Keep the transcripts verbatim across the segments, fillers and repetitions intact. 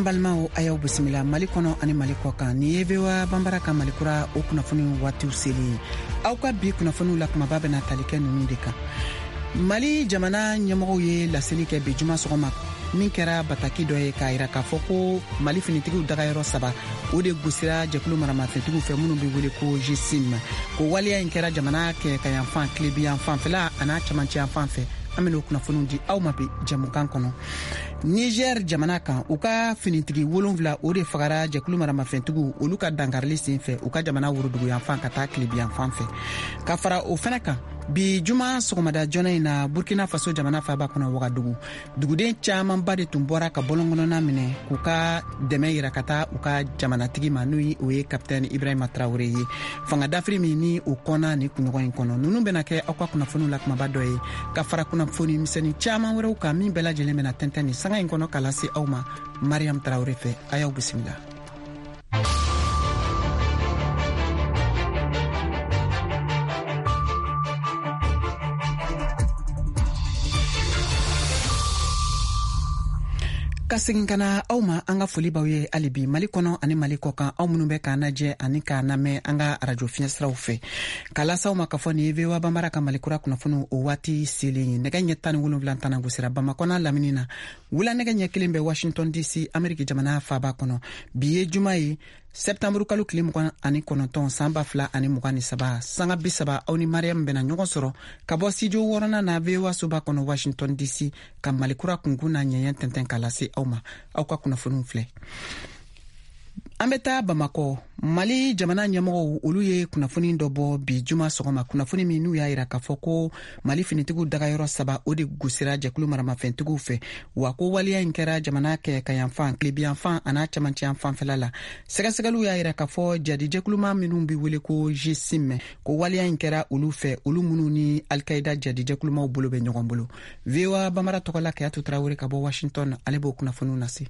An balimaw, a y'aw bisimila Mali kɔnɔ ani Mali kɔ kan. Nin ye V O A Banbara ka Mali Kura o kunnafoni waatiw selen ye. Aw ka bi kunnafoniw la, kumaba bɛna tali kɛ ninnu de kan: Mali jamana ɲɛmɔgɔw ye laseli kɛ bi juma sɔgɔma, min kɛra bataki dɔ ye k'a yira k'a fɔ ko Mali finitigiw dagayɔrɔ saba, o de gosira jɛkulu maramafɛntigiw fɛ minnu be wele ko G S I M. Ko waleya in kɛra jamana kɛɲɛkayanfan, tilebiyan fanfɛla an'a camancɛyan fan fɛ. An ben'o kunnafoniw di aw ma bi jɛmukan kɔnɔ. Niger jamana kan, u ka finitigi wolonfila, o de fagara jɛkulu maramafɛntigiw olu ka dankarili sen fɛ u ka jamana woroduguyanfan ka taa tilebiyanfan fɛ. Ka fara o fɛnɛ kan, bi juma sɔgɔmada joona in na, Burkina Faso jamana faba kɔnɔ, Wagadugu, duguden caamanba de tun bɔra ka bɔlɔnkɔnɔna minɛ k'u ka dɛmɛ yira ka taa u ka jamanatigi ma, n'o o ye Kapitɛni Ibrahima Tarawure ye, fanga dafiri min ni o kɔnna ni kunɲɔgɔn in kɔnɔ. Nunu bena kɛ aw ka kunnafoniw la kumaba dɔ ye, ka fara kunnafoni misɛnnin caaman wɛrɛw kan, min bɛɛ lajɛlen bena tɛntɛn ni sanga in kɔnɔ ka lase aw ma Mariam Tarawure fɛ. A y'aw bisimila. Ka segin ka na aw ma, an ka foli b'aw ye hali bi Mali kɔnɔ ani Mali kɔ kan, aw minnu bɛ k'an lajɛ ani k'an lamɛn an ka arajo fiɲɛsiraw fɛ. K'a lase aw ma k'a fɔ nin ye V O A Banbara ka Mali Kura kunnafoniw o waati selen ye. Nɛgɛ ɲɛ tan ni wolonwula tana gosira Bamakɔ n'a lamini na, wula nɛgɛ ɲɛ kelen bɛ Washington D C, Ameriki jamana faaba kɔnɔ. Bi ye juma ye, sɛptanburu kalo tile mugan ani kɔnɔntɔn, san ba fila ani mugan ni saba. Sanga bi saba, aw ni Mariam bɛna ɲɔgɔn sɔrɔ ka bɔ studio wɔɔrɔnan na, V O A soba kɔnɔ, Washington D C, ka Malikura kunkun n'a ɲɛɲɛ tɛntɛn k'a lase aw ma. Aw ka kunnafoniw filɛ. An bɛ taa Bamakɔ. Mali jamana ɲɛmɔgɔw, olu ye kunnafoni dɔ bɔ bi juma sɔgɔma, kunnafoni min n'u y'a yira k'a fɔ ko Mali finitigiw dagayɔrɔ saba, o de gosira jɛkulu maramafɛntigiw fɛ, wa ko waleya in kɛra jamana kɛɲɛkayanfan, tilebiyanfan an'a camancɛyan fanfɛla la. Sɛgɛsɛgɛliw y'a yira k'a fɔ jadijɛkuluma minw be wele ko G S I M, ko waleya in kɛra olu fɛ, olu minnu ni Alkaida jadijɛkulumaw bolo bɛ ɲɔgɔn bolo. V O A Bamara tɔgɔla, Kayatu Tarawele ka bɔ Washington, ale b'o kunnafoniw lase.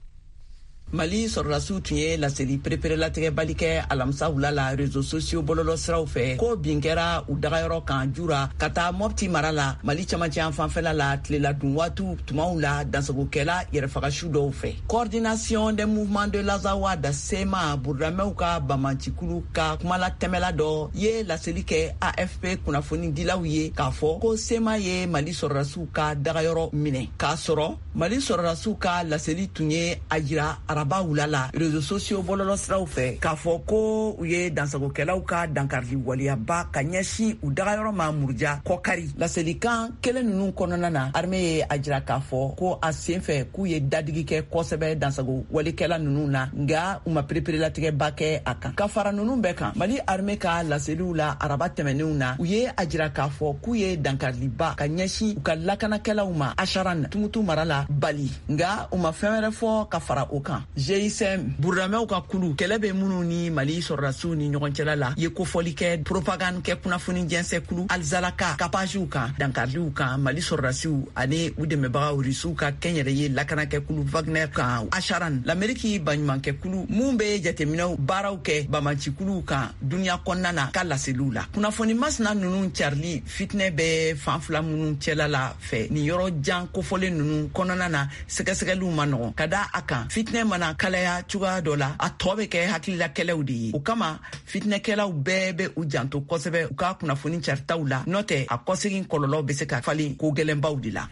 Mali sɔrɔdasiw tun ye laseli pereperelatigɛbali kɛ alamisa wula la réseaux sociaux bɔlɔlɔ siraw fɛ ko bin kɛra u dagayɔrɔ kan Jura ka taa Mɔpti mara la, Mali camancɛyan fanfɛla la, tilela dun waatiw tumaw la, dansagokɛla yɛrɛfagasu dɔw fɛ. Coordination des mouvements de l'Azawad, C M A, burudamɛw ka bamancikulu ka kumalatɛmɛla dɔ ye laseli kɛ A F P kunnafonidilaw ye k'a fɔ ko C M A ye Mali sɔrɔdasiw ka dagayɔrɔ minɛ, k'a sɔrɔ Mali sɔrɔdasiw ka laseli tun ye a jira araba wula la réseaux sociaux bɔlɔlɔ siraw fɛ k'a fɔ ko u ye dansagokɛlaw ka dankarili waleyaba ka ɲɛsin u dagayɔrɔ ma Muruja Kɔkari. Laselikan kelen nunu kɔnɔna na, armée ye a jira k'a fɔ ko a sen fɛ k'u ye dadigi kɛ kosɛbɛ dansago walikɛla nunu na, nga u ma pereperelatigɛba kɛ a kan. Ka fara nunu bɛɛ kan, Mali armée ka laseliw la araba tɛmɛnenw na, u ye a jira k'a fɔ k'u ye dankariliba ka ɲɛsin u ka lakanakɛlaw ma Asaran, Tumutu mara la Bali, nga u ma fɛn wɛrɛ fɔ ka fara o kan. G I S M, burudamɛw ka kulu kɛlɛ bɛ minnu ni Mali sɔrɔdasiw ni ɲɔgɔn cɛla la, ye kofɔli kɛ propagande kɛ kunnafoni jɛnsɛkulu Alizalaka ka pagew kan, dankariliw kan Mali sɔrɔdasiw ani u dɛmɛbagaw Rusiw ka kɛnyɛrɛye lakanakɛkulu Wagner kan Asaran. Lameriki baɲumankɛkulu mun be jateminɛw baaraw kɛ bamancikuluw kan duniɲa kɔnɔna na ka laseliw la, kunnafoni masina nunu carili fitinɛ bɛ fan fila minnu cɛla la fɛ nin yɔrɔ jan kofɔlen nunu kɔnɔna na, sɛgɛsɛgɛliw ma nɔgɔn ka da a kan. Fitinɛ mana kalaya cogoya dɔ la, a tɔɔ bɛ kɛ hakililakɛlɛw de ye. O kama fitinɛkɛlaw bɛɛ bɛ u janto kosɛbɛ u ka kunnafoni caritaw la, n'o tɛ a kɔsegin kɔlɔlɔ bɛ se ka falen ko gwɛlɛnbaw de la.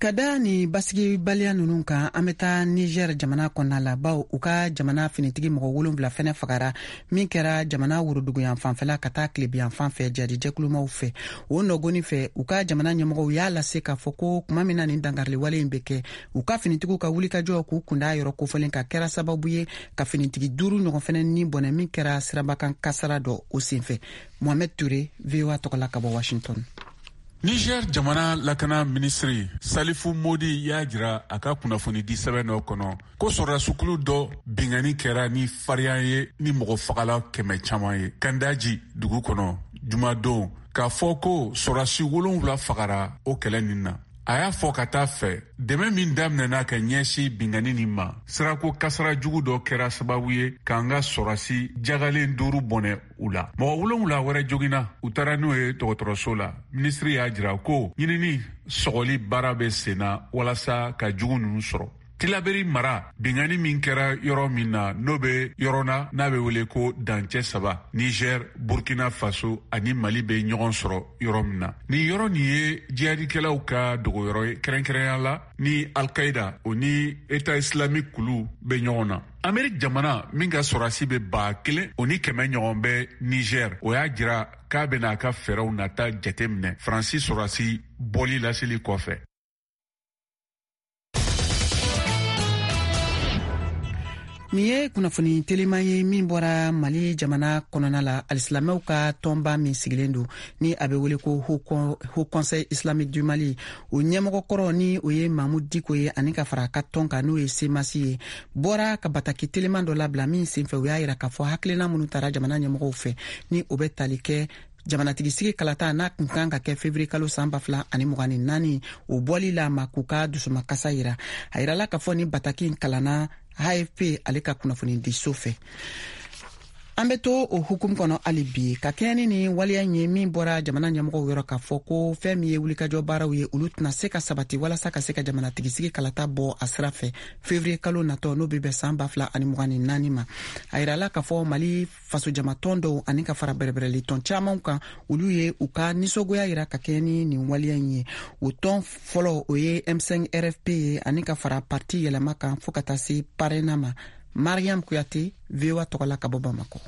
Ka da ni basigibaliya nunu kan, an bɛ taa Niger jamana kɔnɔna la, baw u ka jamana finitigi mɔgɔ wolonfila fɛnɛ fagara, min kɛra jamana woroduguyan fanfɛla ka taa tilebiyan fan fɛ jadijɛkulumaw fɛ. O nɔgɔni fɛ, u ka jamana ɲɛmɔgɔw y'a lase k'a fɔ ko kuma min na nin dankariliwale in bɛ kɛ, u ka finitigiw ka wulikajɔ k'u kunda yɔrɔ kofɔlen ka kɛra sababu ye ka finitigi duuru ɲɔgɔn fɛnɛ ni bɔnɛ, min kɛra sirabakan kasara dɔ o senfɛ. Mohamed Toure, V O A tɔgɔla ka bɔ Washington. Niger jamana lakana minisiri Salifu Modi y'a jira a ka kunnafonidi sɛbɛn dɔ kɔnɔ ko sɔrɔdasukulu dɔ binkanni kɛra ni farinya ye ni mɔgɔ fagala kɛmɛ caman ye Kandaji dugu kɔnɔ jumadon, k'a fɔ ko sɔrɔdasi wolonwula fagara o kɛlɛ nin na. A y'a fɔ ka taa fɛ dɛmɛ min daminɛna ka ɲɛsin binkanni nin ma, sirako kasara jugu dɔ kɛra sababu ye k'an ka sɔrɔdasi jagalen duuru bɔnɛ u la, mɔgɔ wolonwula wɛrɛ joginna, u taara n'u ye dɔgɔtɔrɔso la. Minisiri y'a jira ko ɲinini sɔgɔli baara bɛ sen na walasa ka jugu nunu sɔrɔ. Tilaberi mara binkanni min kɛra yɔrɔ min na, n'o bɛ yɔrɔ na n'a bɛ wele ko dancɛ saba, Niger, Burkina Faso ani Mali bɛ ɲɔgɔn sɔrɔ yɔrɔ min na. Nin yɔrɔ nin ye jihadikɛlaw ka dogoyɔrɔ ye, kɛrɛnkɛrɛnya la ni Al-Qaïda o ni État islamique kulu bɛ ɲɔgɔn na. Amerique jamana min ka sɔrɔdasi bɛ ba kelen o ni kɛmɛ ɲɔgɔn bɛ Niger, o y'a jira k'a bɛna a ka fɛɛrɛw nata jateminɛ Faransi sɔrɔdasi bɔli laseli kɔfɛ. Nin ye kunnafoni teliman ye min bɔra Mali jamana kɔnɔna la. Alisilamɛw ka tɔnba min sigilen don ni a bɛ wele ko Haut Conseil Islamique du Mali, o ɲɛmɔgɔ kɔrɔ ni o ye Mahmoud Dicko ye, ani ka fara a ka tɔn kan n'o ye Semasi ye, bɔra ka bataki teliman dɔ labila min senfɛ u y'a yira k'a fɔ hakilina minnu tara jamana ɲɛmɔgɔw fɛ ni o bɛ tali kɛ jamanatigisigi kalata n'a kun kan ka kɛ fevrier kalo san ba fila ani mugan ni naani, o bɔli la ma k'u ka dusumakasa yira. A yirala k'a fɔ ni bataki in kalanna A F P ale ka kunnafonidiso fɛ. An bɛ to o hukumu kɔnɔ hali bi ka kɛɲɛ ni nin waleya in ye min bɔra jamana ɲɛmɔgɔw yɔrɔ k'a fɔ ko fɛn min ye wulikajɔ baaraw ye, olu tɛna se ka sabati walasa ka se ka jamanatigisigi kalata bɔ a sira fɛ fevrier kalo natɔ, n'o bɛ bɛn san ba fila ani mugan ni naani ma. A yirala k'a fɔ Mali fasojamatɔn dɔw ani ka fara bɛrɛbɛrɛlitɔn caman kan, olu ye u ka nisɔngoya yira ka kɛɲɛ ni nin waleya in ye. O tɔn fɔlɔ o ye M cinq R F P ye, ani ka fara parti yɛlɛma kan fo ka taa se PARENA ma. Mariam Kuyate, V O A tɔgɔ la ka bɔ Bamakɔ.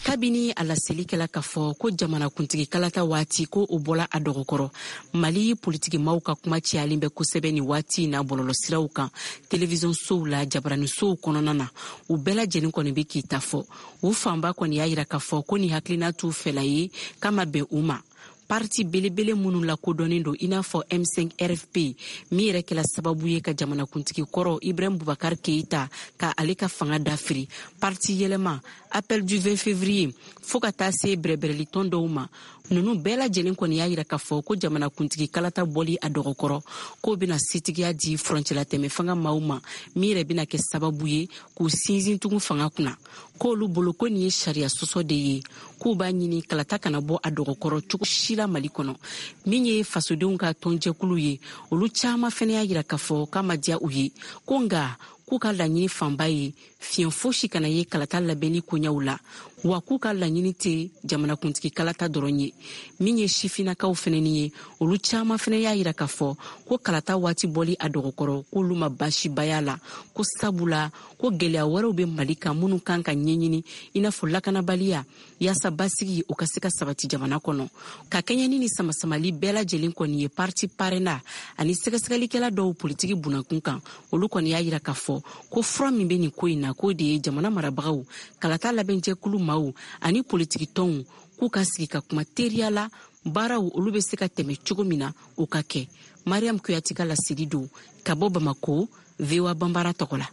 Kabini a laseli kɛla k'a fɔ ko jamanakuntigi kalata waati ko o bɔla a dɔgɔkɔrɔ, Mali politikimaw ka kuma cayalen bɛ kosɛbɛ nin waati in na bɔlɔlɔsiraw kan, televizɔnsow la, jabaranisow kɔnɔna na. U bɛɛ lajɛlen kɔni bɛ k'i ta fɔ. U fanba kɔni y'a yira k'a fɔ ko nin hakilina t'u fɛla ye, k'a ma bɛn u ma. Parti belebele minnu lakodɔnnen don i n'a fɔ M cinq R F P, min yɛrɛ kɛla sababu ye ka jamanakuntigi kɔrɔ Ibrahim Boubacar Keïta ka ale ka fanga dafiri, parti yɛlɛma Appel du vingt février fo ka taa se bɛrɛbɛrɛlitɔn dɔw ma, ninnu bɛɛ lajɛlen kɔni y'a yira k'a fɔ ko jamanakuntigi kalata bɔli a dɔgɔkɔrɔ k'o bɛna setigiya di furancɛlatɛmɛ fanga maaw ma, min yɛrɛ bɛna kɛ sababu ye k'u sinsin tugun fanga kunna. K'olu bolo ko nin ye sariya sɔsɔ de ye, k'u b'a ɲini kalata kana bɔ a dɔgɔkɔrɔ cogo si la Mali kɔnɔ. Min ye fasodenw ka tɔnjɛkulu ye, olu caman fɛnɛ y'a yira k'a fɔ k'a ma diya u ye, ko nka k'u ka laɲini fanba ye fiɲɛ fosi kana ye kalata labɛnni koɲɛw la, wa k'u ka laɲini tɛ jamanakuntigi kalata dɔrɔn ye. Min ye sifinnakaw fɛnɛni ye, olu caman fɛnɛ y'a yira k'a fɔ ko kalata waati bɔli a dɔgɔkɔrɔ k'olu ma baasibaya la, ko sabula ko gɛlɛya wɛrɛw bɛ Mali kan minnu kan ka ɲɛɲini, i n'a fɔ lakanabaliya, yaasa basigi o ka se ka sabati jamana kɔnɔ. Ka kɛɲɛ ni ni samasamali bɛɛ lajɛlen kɔni ye, parti PARENA ani sɛgɛsɛgɛlikɛla dɔw politiki bunakun kan, olu kɔni y'a yira k'a fɔ ko fura min bɛ nin ko in na, k'o de ye jamana marabagaw, kalata labɛnjɛkulu maaw ani politiki tɔnw k'u ka sigi ka kuma teriya la, baaraw olu bɛ se ka tɛmɛ cogo min na o ka kɛ. Mariam Kuyate ka laseli don ka bɔ Bamako, V O A Banbara tɔgɔ la.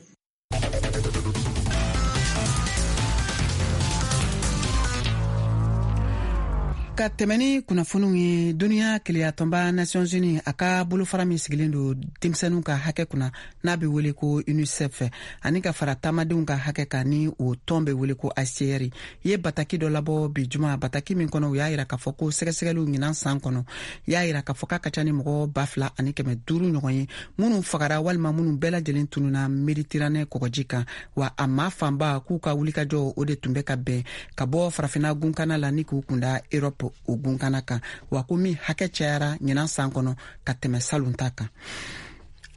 Ka tɛmɛ ni kunnafoniw ye, duniya keleyatɔnba Nations Unies a ka bolofara min sigilen don denmisɛnninw ka hakɛ kunna n'a bɛ wele ko UNICEF, ani ka fara taamadenw ka hakɛ kan ni o tɔn bɛ wele ko A C R, ye bataki dɔ labɔ bi juma. Bataki min kɔnɔ u y'a yira k'a fɔ ko sɛgɛsɛgɛliw ɲinan san kɔnɔ y'a yira k'a fɔ k'a ka ca ni mɔgɔ ba fila ani kɛmɛ duuru ɲɔgɔn ye minnu fagara walima minnu bɛɛ lajɛlen tununa Méditerranée kɔgɔji kan. Wa a maa fanba k'u ka wulikajɔ o de tun bɛ ka bɛn ka bɔ farafinna gunkana la ni k'u kunda Europe o gunkana kan, wa ko min hakɛ cayara ɲinan san kɔnɔ ka tɛmɛ salon ta kan.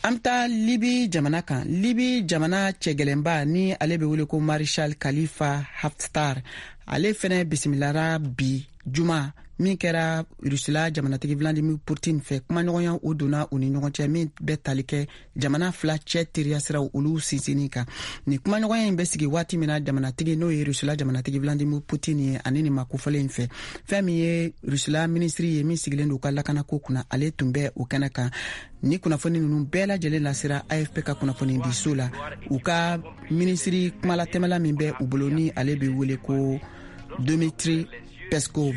An bɛ taa Libi jamana kan. Libi jamana cɛgɛlɛnba ni ale bɛ wele ko Marshal Khalifa Haftar, ale fɛnɛ bisimilara bi juma min kɛra Rusila jamanatigi Vladimir Putin fɛ. Kumaɲɔgɔnya o donna u ni ɲɔgɔn cɛ min bɛ tali kɛ jamana fila cɛ teriya siraw olu sinsinni kan. Nin kumaɲɔgɔnya in bɛ sigi waati min na jamanatigi n'o ye Rusila jamanatigi Vladimir Putin ye ani nin makofɔlen in fɛ, fɛn min ye Rusila minisiri ye min sigilen don u ka lakanako kunna, ale tun bɛ o kɛnɛ kan. Ni kunnafoni ninnu bɛɛ lajɛlen lasera A F P ka kunnafoni diso la, u ka minisiri kumalatɛmɛla min bɛ u bolo ni ale bɛ wele ko Dmitri Peskov.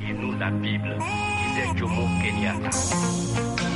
Et nous la Bible, disait Jomo Kenyatta.